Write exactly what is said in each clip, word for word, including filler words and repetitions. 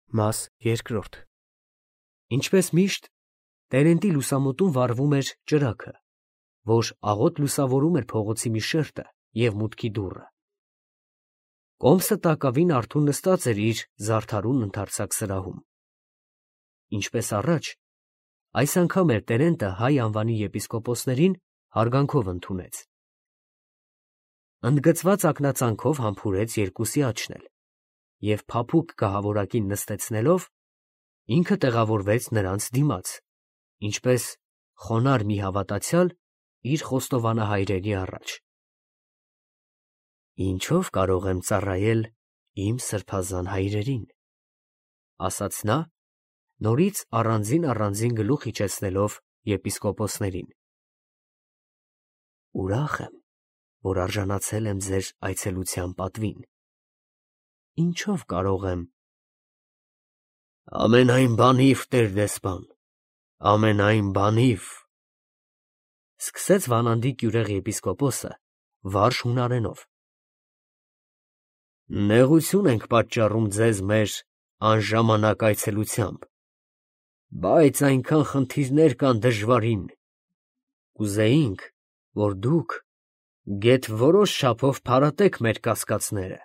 Մաս երկրորդ Ինչպես միշտ, Տերենտի լուսամուտում վառվում էր ճրագը, որ աղոտ լուսավորում էր փողոցի մի շերտը և մուտքի դուռը։ Կոմսը տակավին արթուն նստած էր իր զարդարուն ընդարձակ սրահում։ Ինչպես առաջ, այս անգամ էլ Տերենտը հայ անվանի եպիսկոպոսներին հարգանքով ընդունեց։ Ընդգծված ակնածանքով համբուրեց երկուսի աչքն էլ և փափուկ գահավորակին նստեցնելով, ինքը տեղավորվեց նրանց դիմաց, ինչպես խոնարհ մի հավատացյալ իր խոստովանահայրերի առաջ։ «Ինչո՞վ կարող եմ ծառայել իմ սրբազան հայրերին», ֊ ասաց նա, նորից առանձին֊առանձին գլուխ իջեցնելով եպիսկոպոսներին։ «Ուրախ եմ, որ արժանացել եմ ձեր այցելության պատվին։ Ինչո՞վ կարող եմ…» «Ամենայն բանիվ, տեր֊դեսպան, ամենայն բանիվ…» ֊ սկսեց Վանանդի կյուրեղ եպիսկոպոսը վարժ հունարենով։ «Նեղություն ենք պատճառում ձեզ մեր անժամանակ այցելությամբ, բայց այնքան խնդիրներ կան դժվարին, կուզեինք, որ դուք գեթ որոշ չափով փարատեք մեր կասկածները»։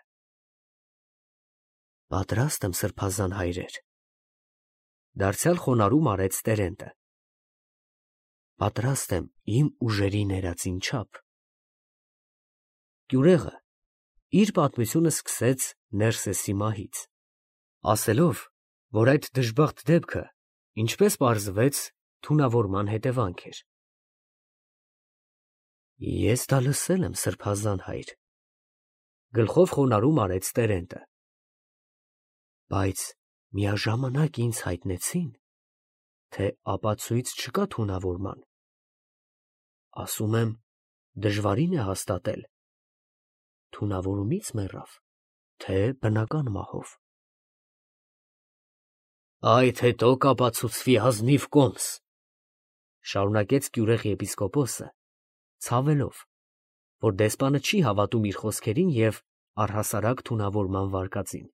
«Պատրաստ եմ, սրբազան հայրեր, ֊ դարձյալ խոնարհում արեց Տերենտը, ֊ պատրաստ եմ իմ ուժերի ներածին չափ»։ Կյուրեղը իր պատմությունը սկսեց Ներսեսի մահից, ասելով, որ այդ դժբախտ դեպքը, ինչպես պարզվեց, թունավորման հետևանք էր։ «Ես դա լսել եմ, սրբազան հայր, ֊ գլխով խոնարհում արեց Տերենտը, ֊ բայց միաժամանակ ինձ հայտնեցին, թե ապացույց չկա թունավորման։ Ասում եմ, դժվարին է հաստատել՝ թունավորումից մեռավ, թե բնական մահով»։ «Այդ հետո կապացուցվի ազնիվ կոմս, ֊ շարունակեց կյուրեղ եպիսկոպոսը, ցավելով, որ դեսպանը չի հավատում իր խոսքերին և առհասարակ թունավորման վարկածին։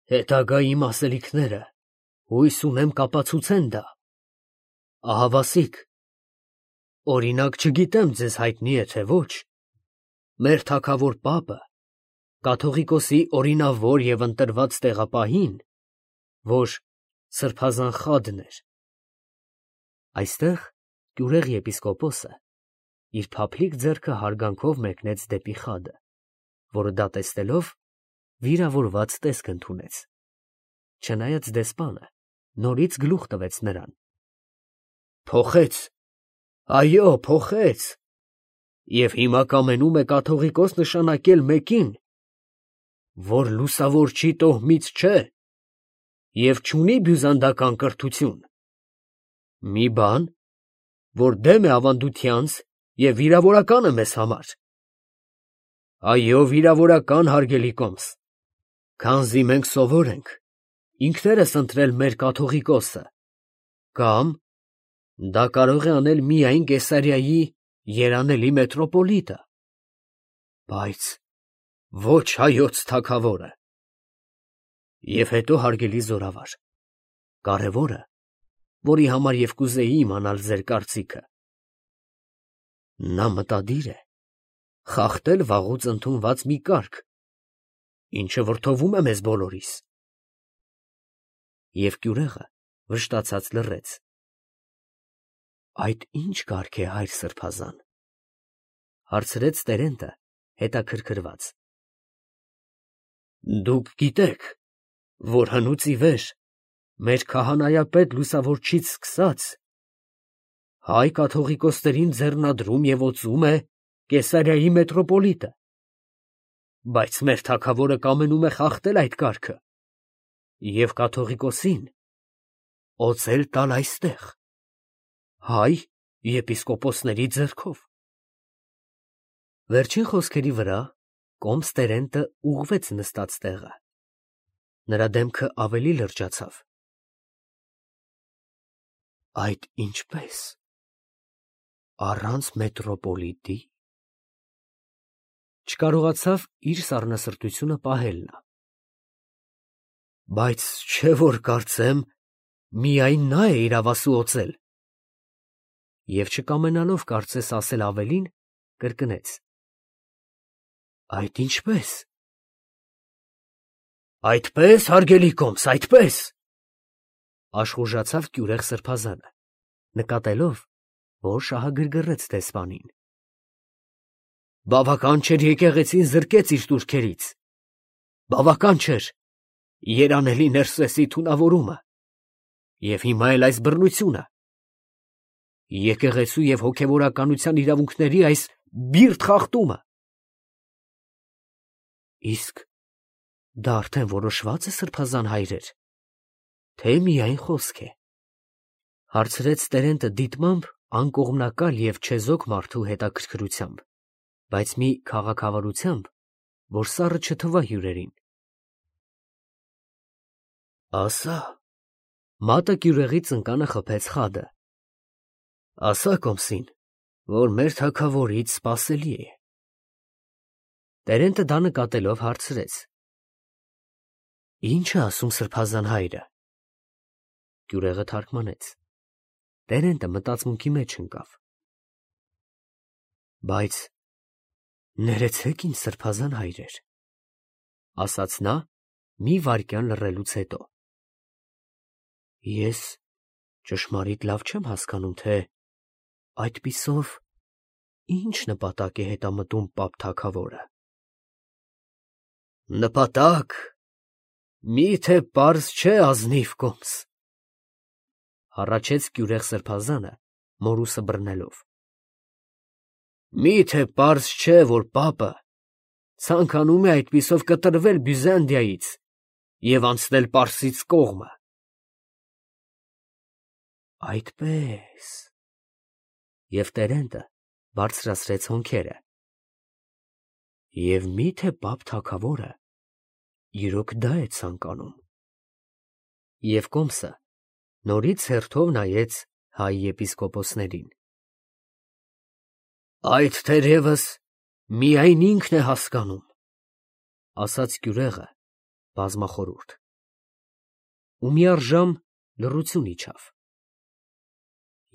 Հետագա իմ ասելիքները, հույս ունեմ, կապացուցեն դա։ Ահավասիկ, օրինակ, չգիտեմ ձեզ հայտնի է, թե ոչ, մեր թագավոր պապը կաթողիկոսի օրինավոր և ընտրված տեղապահին, որ սրբազան խադն էր…» Այստեղ կյուրեղ եպիսկոպոսը իր փափլիկ ձեռքը հարգանքով մեկնեց դեպի խադը, որը դատեստելով, վիրավորված տեսք ընդունեց, չնայած դեսպանը նորից գլուխ տվեց նրան։ «Փոխեց, այո, փոխեց, և հիմա կամենում է կաթողիկոս նշանակել մեկին, որ լուսավորչի տոհմից չէ և չունի բյուզանդական կրթություն, մի բան, որ դեմ է ավանդությանց և վիրավորական է մեզ համար։ Այո, վիրավորական, հարգելի կոմս, քանզի մենք սովոր ենք ինքներս ընտրել մեր կաթողիկոսը, կամ դա կարող է անել միայն Կեսարիայի երանելի մետրոպոլիտը, բայց ոչ հայոց թագավորը։ Եվ հետո, հարգելի զորավար, կարևորը, որի համար և կուզեի իմանալ ձեր կարծիքը, նա մտադիր է խախտել վաղուց ընդունված մի կարգ, ինչը վրդովում է մեզ բոլորիս»։ Եվ կյուրեղը վշտացած լռեց։ «Այդ ի՞նչ կարգ է, հայր սրբազան, ֊ հարցրեց Տերենտը հետաքրքրված։ ֊ Դուք գիտեք, որ հնուց ի վեր մեր քահանայապետ լուսավորչից սկսած հայ կաթողիկոսներին ձեռնադրում և օծում է Կեսարիայի մետրոպոլիտը, բայց մեր թագավորը կամենում է խախտել այդ կարգը և կաթողիկոսին օծել տալ այստեղ, հայ եպիսկոպոսների ձեռքով»։ Վերջին խոսքերի վրա կոմս Տերենտը ուղղվեց նստած տեղը, նրա դեմքը ավելի լրջացավ։ «Այդ ինչպե՞ս, առանց մետրոպոլիտի…» չկարողացավ իր սառնասրտությունը պահել նա։ Բայց չէ որ կարծեմ, միայն նա է իրավասու օծել։ Եվ չկամենալով կարծես ասել ավելին, կրկնեց. Այդ ինչպես։ Այդպես, հարգելի կոմս, այդպես, աշխուժացավ կյուրեղ սրբազանը, նկատելով, որ շահագրգռեց դեսպանին։ Բավական չէր եկեղեցին զրկեց իր տուրքերից, բավական չէր երանելի Ներսեսի թունավորումը, և հիմա էլ այս բռնությունը, եկեղեցու և հոգևորականության իրավունքների այս բիրտ խախտումը։ Իսկ դա արդեն որոշվա՞ծ է, սրբազան հայրեր, թե միայն խոսք է, հարցրեց Տերենտը դիտմամբ անկողմնակալ և չեզոք մարդու հետաքրքրությամբ, բայց մի քաղաքավարությամբ, որ սառը չթվա հյուրերին։ Ասա, մատը կյուրեղի ծնկանը խփեց խադը, ասա կոմսին, որ մեր թագավորից սպասելի է։ Տերենտը դա նկատելով հարցրեց. Ի՞նչ է ասում սրբազան հայրը։ Կյուրեղը թարգմանեց։ Տերենտը մտածմունքի մեջ ընկավ։ Բայց ներեցեք ինձ, սրբազան հայրեր, ասաց նա մի վայրկյան լռելուց հետո։ Ես ճշմարիտ լավ չեմ հասկանում, թե այդպիսով ինչ նպատակ է հետամտում պապ թագավորը։ Նպատակ, մի՞թե պարզ չէ, ազնիվ կոմս, հառաչեց կյուրեղ սրբազանը, մորուսը բռնելով։ Մի՞թե պարզ չէ, որ պապը ցանկանում է այդպիսով կտրվել Բյուզանդիայից և անցնել Պարսից կողմը։ Այդպես… Եվ Տերենտը բարձրացրեց հոնքերը։ Եվ մի՞թե պապ թագավորը իրոք դա է ցանկանում։ Եվ կոմսը նորից հերթով նայեց հայ եպիսկոպոսներին։ Այդ թերևս միայն ինքն է հասկանում, ասաց կյուրեղը բազմախորհուրդ։ Ու միառժամ լռություն իջավ։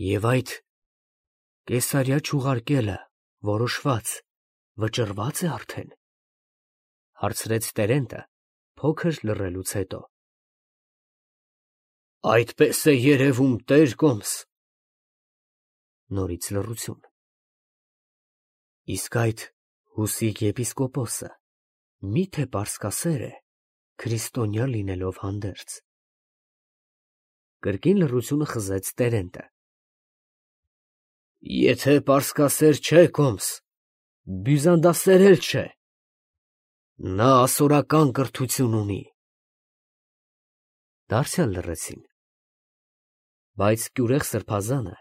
Եվ այդ Կեսարիա չուղարկելը որոշված, վճռվա՞ծ է արդեն, հարցրեց Տերենտը փոքր լռելուց հետո։ Այդպես է երևում, տեր կոմս։ Նորից լռություն։ Իսկ այդ Հուսիկ եպիսկոպոսը մի՞թե պարսկասեր է, քրիստոնյա լինելով հանդերձ։ Կրկին լռությունը խզեց Տերենտը։ Եթե պարսկասեր չէ, կոմս, բյուզանդասեր էլ չէ, նա ասորական կրթություն ունի։ Դարձյալ լռեցին։ Բայց կյուրեղ սրբազանը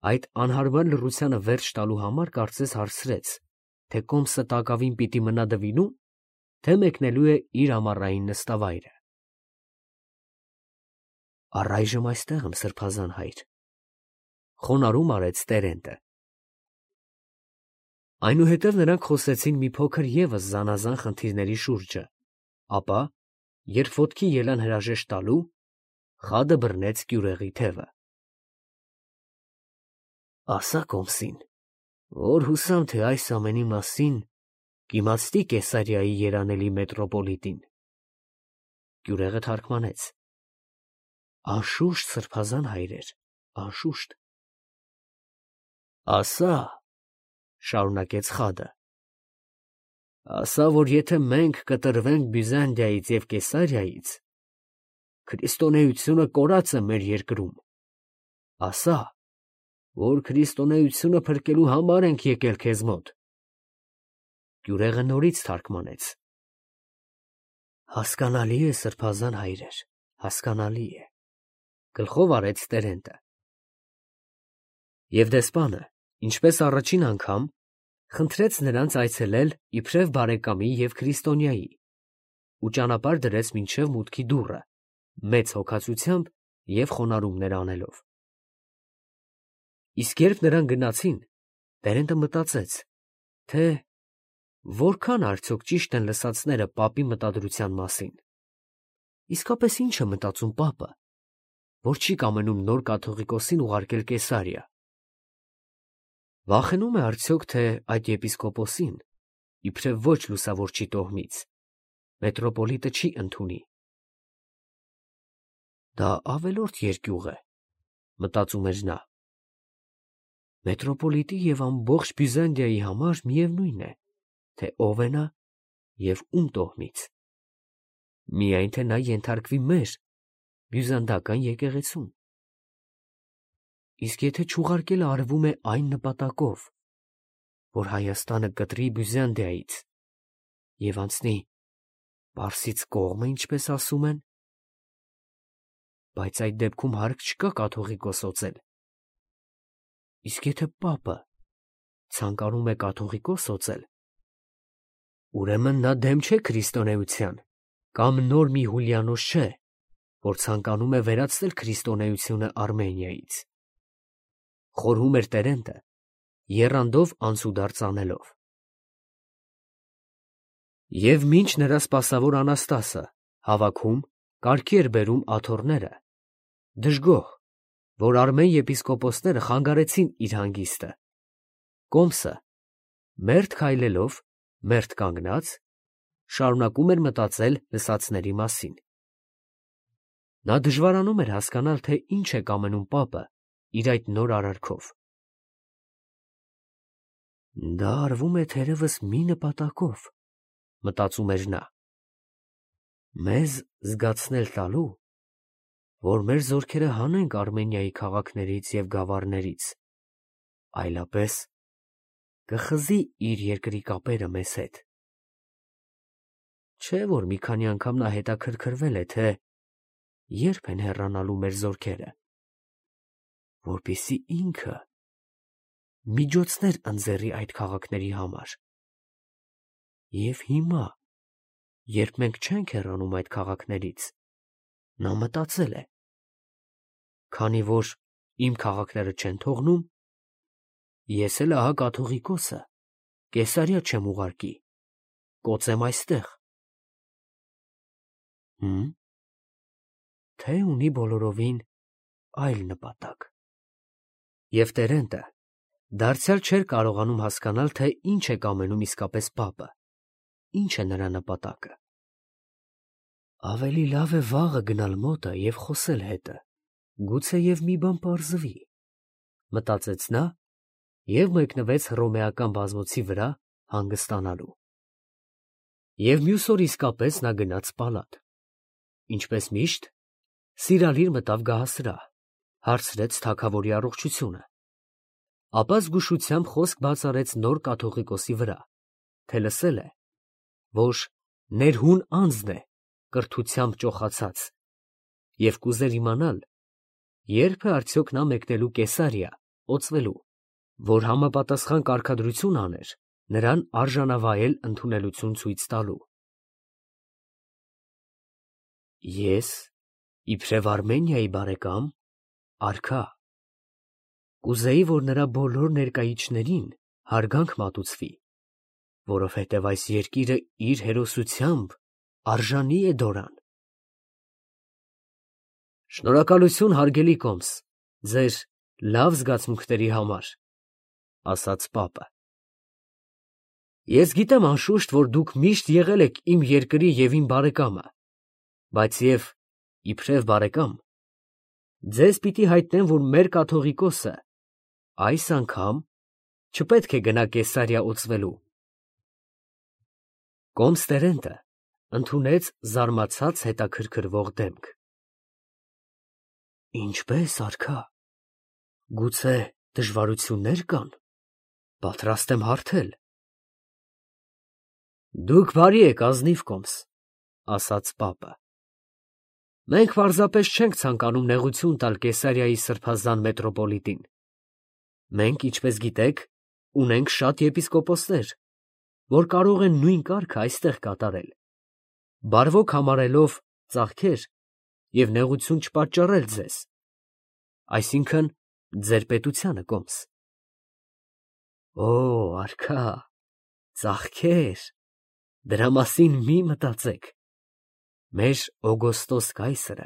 այդ անհարմար լռությանը վերջ տալու համար կարծես հարցրեց, թե կոմսը տակավին պիտի մնա դվինո՞ւմ, թե մեկնելու է իր ամառային նստավայրը։ Առայժմ այստեղ եմ, սրբազան հայր, խոնարհում արեց Տերենտը։ Այնուհետև նրանք խոսեցին մի փոքր ևս զանազան խնդիրների շուրջը, ապա, երբ ոտքի ելան հրաժեշտ տալու, խադը բռնեց կյուրեղի թևը։ Ասա կոմսին, որ հուսամ, թե այս ամենի մասին կիմացնի Կեսարիայի երանելի մետրոպոլիտին։ Կյուրեղը թարգմանեց. Անշուշտ, սրբազան հայրեր, անշուշտ։ Ասա, շարունակեց խադը, ասա, որ եթե մենք կտրվենք Բյուզանդիայից և Կեսարիայից, քրիստոնեությունը կորած է մեր երկրում, ասա, որ քրիստոնեությունը փրկելու համար ենք եկել քեզ մոտ։ Կյուրեղը նորից թարգմանեց. Հասկանալի է, սրբազան հայրեր, հասկանալի է, գլխով արեց Տերենտը։ Եվ դեսպանը, ինչպես առաջին անգամ, խնդրեց նրանց այցելել իբրև բարեկամի և քրիստոնյայի ու ճանապարհ դրեց մինչև մուտքի դուռը, մեծ հոգածությամբ և խոնարհումներ անելով։ Իսկ երբ նրանք գնացին, Տերենտը մտածեց, թե որքան արդյոք ճիշտ են լսածները պապի մտադրության մասին։ Իսկապես ի՞նչ է մտածում պապը, որ չի կամենում նոր կաթողիկոսին ուղարկել Կեսարիա։ Վախենում է արդյոք, թե այդ եպիսկոպոսին, իբրև ոչ լուսավորչի տոհմից, մետրոպոլիտը չի ընդունի։ Դա ավելորդ երկյուղ է, մտածում էր նա։ Մետրոպոլիտի և ամբողջ Բյուզանդիայի համար միևնույն է, թե ով է նա և ում տոհմից, միայն թե նա ենթարկվի մեր բյուզանդական եկեղեցուն։ Իսկ եթե չուղարկելը արվում է այն նպատակով, որ Հայաստանը կտրի Բյուզանդիայից և անցնի Պարսից կողմը, ինչպես ասում են, բայց այդ դեպքում հարկ չկա կաթողիկոս օծել։ Իսկ եթե պապը ցանկանում է կաթողիկոս օծել, ուրեմն նա դեմ չէ քրիստոնեության, կամ նոր մի Հուլիանոս չէ, որ ցանկանում է վերացնել քրիստոնեությունը Արմենիայից։ Խորհում էր Տերենտը, եռանդով անցուդարձ անելով։ Եվ մինչ նրա սպասավոր Անաստասը հավաքում, կարգի էր բերում աթոռները, դժգոհ, որ արմեն եպիսկոպոսները խանգարեցին իր հանգիստը, Կոմսը, մերթ քայլելով, մերթ կանգնած, շարունակում էր մտածել լսածների մասին։ Նա դժվարանում էր հասկանալ, թե ինչ է կամենում պապը իր այդ նոր արարքով։ Դա արվում է թերևս մի նպատակով, մտածում էր նա, մեզ զգացնել տալու, որ մեր զորքերը հանենք Արմենիայի քաղաքներից և գավառներից, այլապես կխզի իր երկրի կապերը մեզ հետ։ Չէ՞ որ մի քանի անգամ նա հետաքրքրվել է, թե երբ են հեռանալու մեր զորքերը, որպեսզի ինքը միջոցներ ընձեռի այդ քաղաքների համար։ Եվ հիմա, երբ մենք չենք հեռանում այդ քաղաքներից, նա մտածել է. քանի որ իմ քաղաքները չեն թողնում, ես էլ ահա կաթողիկոսը Կեսարիա չեմ ուղարկի, կոծեմ այստեղ։ Հմ, թե ունի բոլորովին այլ նպատակ։ Եվ Տերենտը դարձյալ չէր կարողանում հասկանալ, թե ինչ է կամենում իսկապես պապը, ինչ է նրա նպատակը։ Ավելի լավ է վաղը գնալ մոտը և խոսել հետը, գուցեև մի բան պարզվի, մտածեց նա և մեկնվեց հռոմեական բազմոցի վրա հանգստանալու։ Եվ մյուս օր իսկապես նա գնաց պալատ։ Ինչպես միշտ, սիրալիր մտավ գահասրահ, հարցրեց թագավորի առողջությունը, ապա զգուշությամբ խոսք բաց արեց նոր կաթողիկոսի վրա, թե լսել է, որ ներհուն անձն է կրթությամբ ճոխացած, և կուզեր իմանալ, երբ է արդյոք նա մեկնելու Կեսարիա օծվելու, որ համապատասխան կարգադրություն աներ նրան արժանավայել ընդունելություն ցույց տալու։ Ես, իբրև Արմենիայի բարեկամ, արքա, կուզեի, որ նրա բոլոր ներկայիչներին հարգանք մատուցվի, որովհետև այս երկիրը իր հերոսությամբ արժանի է դորան։ Շնորհակալություն, հարգելի Կոմս, ձեր լավ զգացմունքների համար, ասաց պապը։ Ես գիտեմ անշուշտ, որ դուք միշտ եղել եք իմ երկրի և իմ բարեկամը, բայց և իբրև բարեկամ, ձեզ պիտի հայտնեմ, որ մեր կաթողիկոսը այս անգամ չպետք է գնա Կեսարիա օծվելու։ Կոմս Տերենտը ընդունեց զարմացած հետաքրքրվող դեմք։ Ինչպե՞ս, արքա, գուցե դժվարություններ կան, պատրաստ եմ հարթել։ Դուք բարի եք, ազնիվ Կոմս, ասաց պապը։ Մենք պարզապես չենք ցանկանում նեղություն տալ Կեսարիայի սրբազան մետրոպոլիտին։ Մենք, ինչպես գիտեք, ունենք շատ եպիսկոպոսներ, որ կարող են նույն կարգը այստեղ կատարել, բարվոք համարելով ծախքեր և նեղություն չպատճառել ձեզ, այսինքն ձեր պետությանը, Կոմս։ Օ, արքա, ծախքեր, դրա մասին մի մտածեք։ Մեր Օգոստոս կայսրը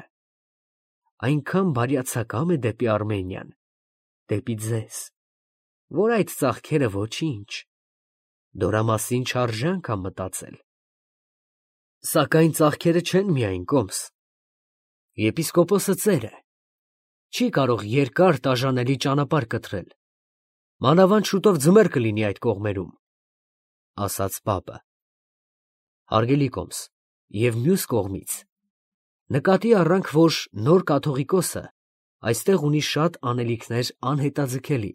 այնքան բարյացակամ է դեպի Արմենիան, դեպի ձեզ, որ այդ ծախքերը ոչինչ, դրա մասին չարժե անգամ մտածել։ Սակայն ծախքերը չեն միայն կոմս։ Եպիսկոպոսը ծեր է, չի կարող երկար տաժանելի ճանապարհ կտրել, մանավանդ շուտով ձմեռ կլինի այդ կողմերում, ասաց պապը։ Հարգելի կոմս, և մյուս կողմից նկատի առանք, որ նոր կաթողիկոսը այստեղ ունի շատ անելիքներ անհետաձգելի։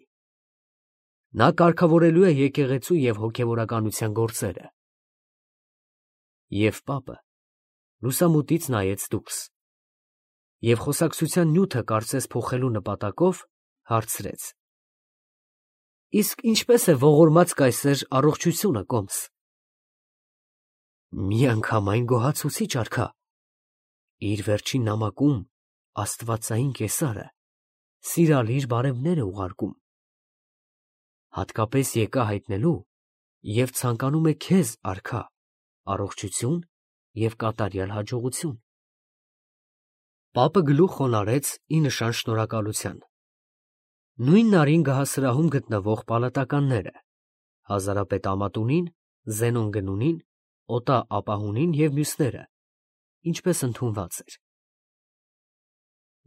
Նա կարգավորելու է եկեղեցու և հոգևորականության գործերը։ Եվ պապը լուսամուտից նայեց դուրս և խոսակցության նյութը կարծես փոխելու նպատակով հարցրեց. Իսկ ինչպես է ողորմած կայսեր առողջությունը, կոմս։ Միանգամայն գոհացուցիչ, արքա։ Իր վերջին նամակում աստվածային կեսարը սիրալիր բարևներ է ուղարկում։ Հատկապես եկա հայտնելու և ցանկանում է քեզ, արքա, առողջություն և կատարյալ հաջողություն։ Պապը գլուխ խոնարհեց ի նշան շնորհակալության։ Նույն նարին գահասրահում գտնվող պալատականները՝ Հազարապետ Ամատունին, Զենոն Գնունին, Օտա Ապահունին և մյուսները, ինչպես ընդունված էր։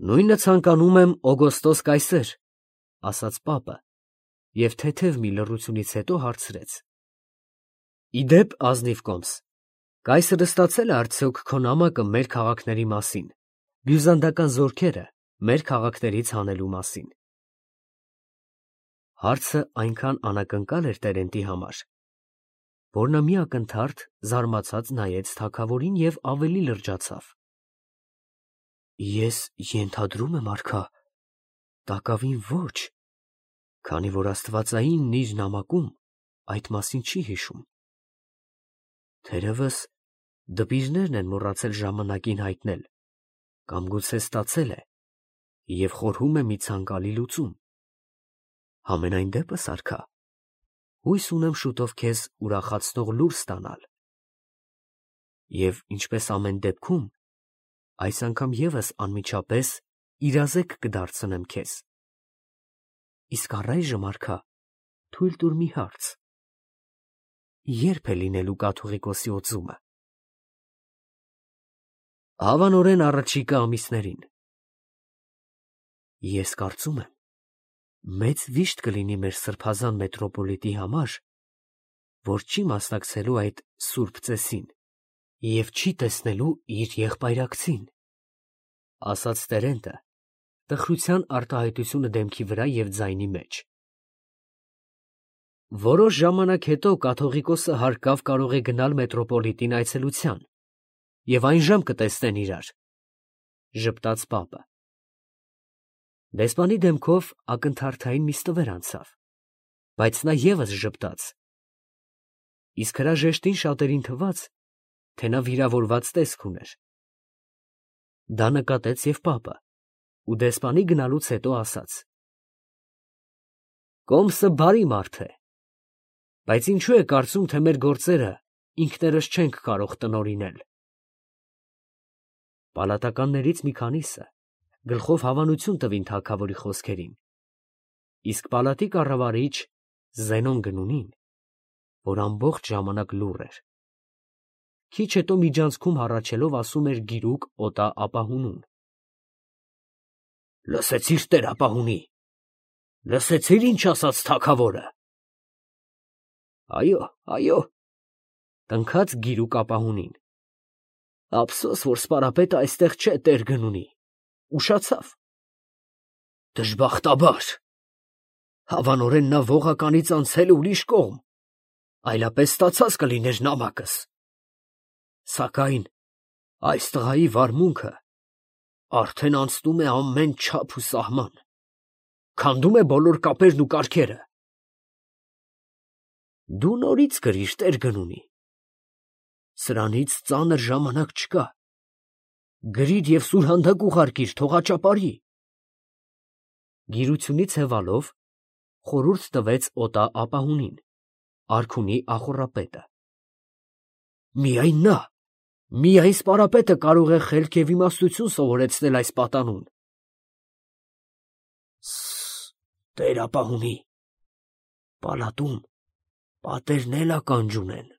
Նույնը ցանկանում եմ Օգոստոս կայսեր, ասաց պապը և թեթև մի լռությունից հետո հարցրեց. Ի դեպ, ազնիվ կոմս, կայսրը ստացել է արդյոք քո նամակը մեր քաղաքների մասին, բյուզանդական զորքերը մեր քաղաքներից հանելու մասին։ Հարցը այնքան անակնկալ էր Տերենտի համար, որ նա մի ակնթարթ զարմացած նայեց թագավորին և ավելի լրջացավ։ Ես ենթադրում եմ, արքա, տակավին ոչ, քանի որ աստվածայինն իր նամակում այդ մասին չի հիշում։ Թերևս դպիրներն են մոռացել ժամանակին հայտնել, կամ գուցե ստացել է և խորհում է մի ցանկալի լուծում։ Համենայն դեպս, արքա, հույս ունեմ շուտով քեզ ուրախացնող լուր ստանալ։ Եվ ինչպես ամեն դեպքում, այս անգամ ևս անմիջապես իրազեկ կդարձնեմ քեզ։ Իսկ առայժմ, արքա, թույլ տուր մի հարց. ե՞րբ է լինելու կաթողիկոսի օծումը։ Հավանորեն առաջիկա ամիսներին։ Ես կարծում եմ, մեծ վիշտ կլինի մեր սրբազան մետրոպոլիտի համար, որ չի մասնակցելու այդ սուրբ ծեսին և չի տեսնելու իր եղբայրակցին, ասաց Տերենտը, տխրության արտահայտությունը դեմքի վրա և ձայնի մեջ։ Որոշ ժամանակ հետո կաթողիկոսը հարկավ կարող է գնալ մետրոպոլիտին այցելության, և այնժամ կտեսնեն իրար, ժպտաց պապը։ Դեսպանի դեմքով ակնթարթային մի ստվեր անցավ, բայց նա ևս ժպտաց, իսկ հրաժեշտին շատերին թվաց, թե նա վիրավորված տեսք ուներ։ Դա նկատեց և պապը ու դեսպանի գնալուց հետո ասաց. Կոմսը բարի մարդ է, բայց ինչու է կարծում, թե մեր գործերը ինքներս չենք կարող տնօրինել։ Պալատականներից մի քանիսը գլխով հավանություն տվին թագավորի խոսքերին, իսկ պալատի կառավարիչ Զենոն Գնունին, որ ամբողջ ժամանակ լուռ էր, քիչ հետո միջանցքում հառաչելով ասում էր գիրուկ Օտա Ապահունուն. Լսեցի՞ր տեր Ապահունի, լսեցի՞ր ինչ ասաց թագավորը։ Այո, այո, տնքաց գիրուկ Ապահունին։ Ափսոս, որ սպարապետը այստեղ չէ, տեր Գնունի, ուշացավ։ Դժբախտաբար, հավանորեն նա ողականից անցել է ուրիշ կողմ, այլապես ստացած կլիներ նամակս։ Սակայն այս տղայի վարմունքը արդեն անցնում է ամեն չափ ու սահման, քանդում է բոլոր կապերն ու կարգերը։ Դու նորից կրիր, տեր Գնունի, սրանից ծանր ժամանակ չկա, գրիր և սուրհանդակ ուղարկիր, թող աճապարի։ Գիրությունից հևալով խորհուրդ տվեց Օտա Ապահունին, արքունի ախոռապետը։ Միայն նա, Միայն սպարապետը կարող է խելք և իմաստություն սովորեցնել այս պատանուն։ Ս֊ս֊ս, տեր ապահովի, պալատում պատերն էլ ականջ ունեն։